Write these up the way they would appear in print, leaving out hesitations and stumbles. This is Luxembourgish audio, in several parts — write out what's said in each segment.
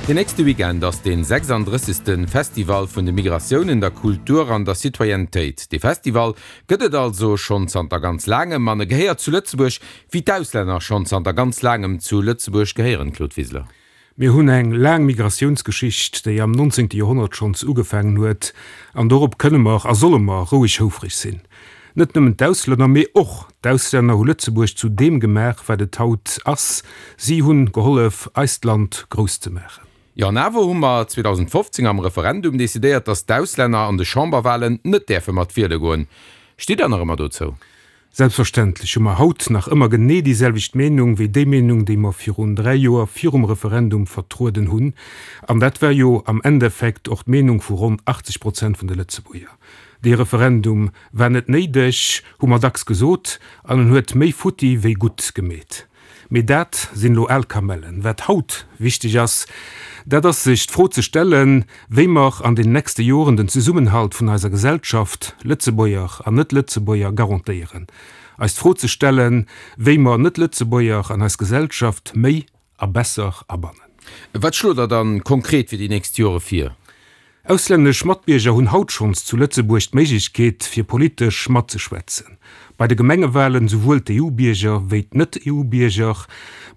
Den nächste Weekend ass den 36. Festival vun de Migratiounen, der Kultur an der Citoyennetéit. Dee Festival gëtt et also schonn zanter ganz laangem an e gehéiert zu Lëtzebuerg, wéi d'Auslänner schonn zanter ganz laangem zu Lëtzebuerg gehéieren, Claude Wiseler. Mir hunn eng laang Migratiounsgeschicht, déi am 19. Joerhonnert schonns ugefaangen huet, an dorop kënne mer a solle mer roueg houfreg sinn. Net nëmmen d'Auslänner, mee och d'Auslänner hu Lëtzebuerg zu deem gemaach, wat et haut ass. Si hunn gehollef, eist Land grouss ze maachen. Jo, an awer hu mer 2015 am Referendum decidéiert, datt d'Auslänner an de Chamberwahlen net däerfe mat wiele goen. Stitt Der nach ëmmer dozou? Selbstverständlech hu mer haut nach ëmmer genee déi selwecht Meenung wéi déi Meenung, déi mer virun 3 Joer virum Referendum vertrueden hunn. An dat war jo am Endeffekt och d'Meenung vu ronn 80 Prozent vun de Lëtzebuerger. Dee Referendum war net néideg, hu mer dacks gesot, an en huet méi futti wéi gutt gemeet. Mee dat sinn elo al Kamellen. Wat haut wichteg ass, dat ass sech d'Fro ze stellen, wéi mer an den nächste Joren den Zesummenhalt vun eiser Gesellschaft, Lëtzebuerger an Net-Lëtzebuerger, garantéieren. Eis d'Fro ze stellen, wéi mer Net-Lëtzebuerger an eis Gesellschaft méi a besser abannen. Wat schlot Der dann konkret fir déi nächst Jore vir? Auslännesch Matbierger hunn haut schonns zu Lëtzebuerg d'Méiglechkeet, fir politesch matzeschwätzen. Bei de Gemengewalen souwuel d'EU-Bierger wéi d'Net-EU-Bierger,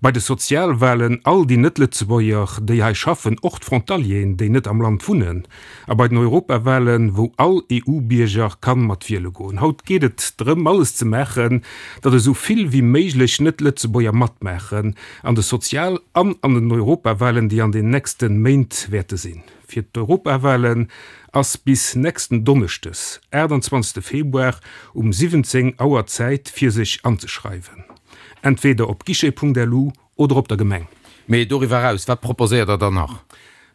bei de Sozialwalen all déi Net-Lëtzebuerger, déi hei schaffen, och d'Frontalieren, déi net am Land wunnen, a bei den Europawalen, wou all EU-Bierger kann mat wiele goen. Haut geet et drëm, alles ze maachen, datt esou vill wéi méiglech Net-Lëtzebuerger matmaachen an de Sozial an an den Europawalen, déi an den nächste Méint wäerte sinn. Fir d'Europawalen ass bis nächsten Donneschdes, 28 Februar um 17 Auer Zäit fir sech anzeschreiwen, entweder op guichet.lu oder op der Gemeng. Mee doriwwer eraus, wat proposéiert der dann nach?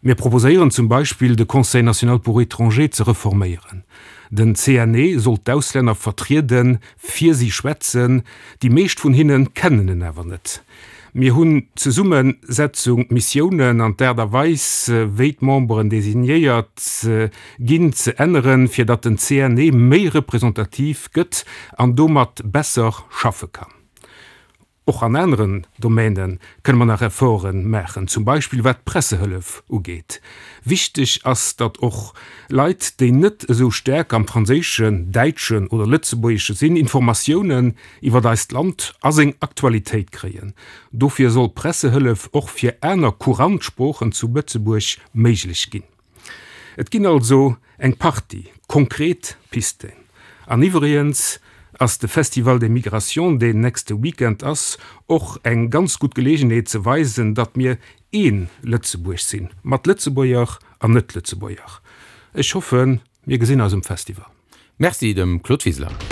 Mir proposéieren zum Beispill de Conseil national pour étrangers ze reforméieren. Den CNE soll d'Auslänner vertrieden, fir si schwätzen, déi meescht vun hinne kennen en awer net. Mir hunn d'Zesummesetzung, d'Missiounen an d'Aart a Weis, wéi d'Memberen designéiert ginn, ze änneren, fir datt den CNE méi representativ gëtt an domat besser schaffe kann. Och an aneren Domäne kënne mer nach Efforte maachen, zum Beispill wat d'Pressehëllef ugeet. Wichteg ass, datt och Leit, déi net esou staark am Franséischen, Däitschen oder Lëtzebuergesche sinn, Informatiounen iwwert eist Land a seng Aktualitéit kréien. Dofir soll Pressehëllef och fir aner courant Sproochen zu Lëtzebuerg méiglech ginn. Et ginn also eng Partie konkret Pisten. An iwwregens ass de Festival des Migrations, deen nächste Weekend ass, och eng ganz gutt Geleegenheet ze weisen, datt mir een Lëtzebuerg sinn, mat Lëtzebuerger an Net-Lëtzebuerger. Ech hoffen, mir gesinn eis um Festival. Merci dem Claude Wiseler.